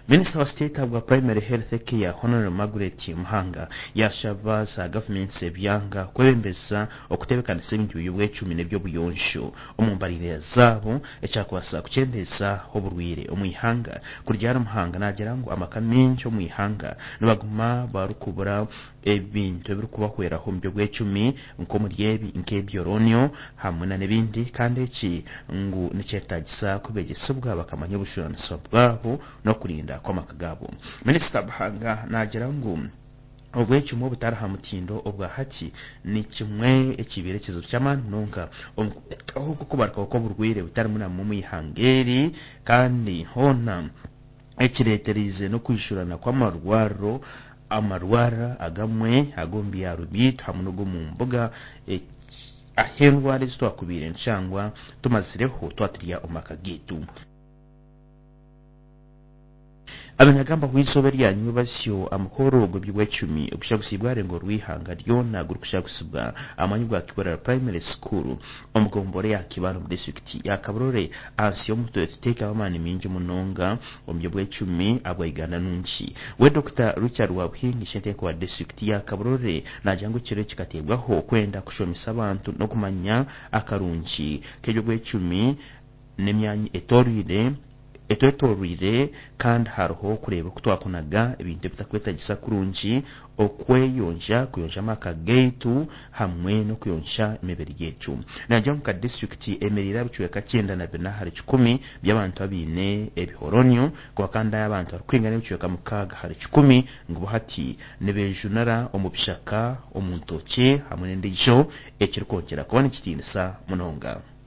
Minisita wa state ahabwa Primary Health Care, Hon. Margaret Muhanga yashaba za gavumenti z'ebyanga kwebembeza okutebekanisa ebintu by'obwecumi n'eby'obuyonjo omu mbarira zaabo ekyakubaasa kukyendeeza oburwaire omu ihanga. Kurugiirira ahari Muhanga naagira ngu amaka maingi omu ihanga nibaguma barikubura ebintu ebirikubahweraho omu by'obwecumi nk'omuri ebi nk'ebyoronio hamwe n'ebindi kandi eki ngu nikyetaagisa ku beegyesibwa bakamanya obujunaanizibwa bwabo n'okurinda kw'amaka gaabo. Minisita Muhanga naagira ngu obwecumi obutari aha mutindo obwa hati ni kimwe ekibaire ekizibu ky'amaani munonga omu kureetaho okubarukaho kw'oburwaire butari bumwe na bumwe omu ihanga eri kandi hoona ekireetereize n'okwijurana kw'amarwariro amarwariro agamwe ag'omu byaro byaitu hamwe n'ag'omu mbuga ahu endwara ezi twakubaire nitushangwa tumazireho twaturya omu maka gaitu. Abanyagamba ahu eizooba eryanywa basyo amukoro gw'ebyobwecumi ogushagusiibwe aharengo rw'eihanga ryoona gurikushagutsibwa aha mwanya gwa Kiburara Primary School omu gombora eya Kibaale omu disiturikiti ya Kabarole ahansi y'omutwe Tuteekaho Amaani Maingi Munonga omu by'obwecumi ahabwa Uganda Nungi. We Dokita Richard Rwabuhingi Ishenteeko wa disiturikiti ya Kabarole naagira ngu ekiro eki kikateebwaho kwenda kushomesa abantu n'okumanya akarungi k'eby'obwecumi n'emyanya etooroire etwetoroire kandi hariho kureeba oku twakunaga ebintu ebitakwetagisa kurungi, okweyonja, kuyonja amaka gaitu hamwe n'okuyonja emibiri yaitu. Naagira ngu nka disiturikiti eyemereire aha bicweka 94 ahari kikumi by'abantu abaine ebihoronio kwonka kandi abantu barikwingana ebicweka 6 ahari kikumi ngu bo hati nibejunira omu bishaka, omu ntookye hamwe n'endiijo ekirikwongyera kuba nikitiinisa munonga.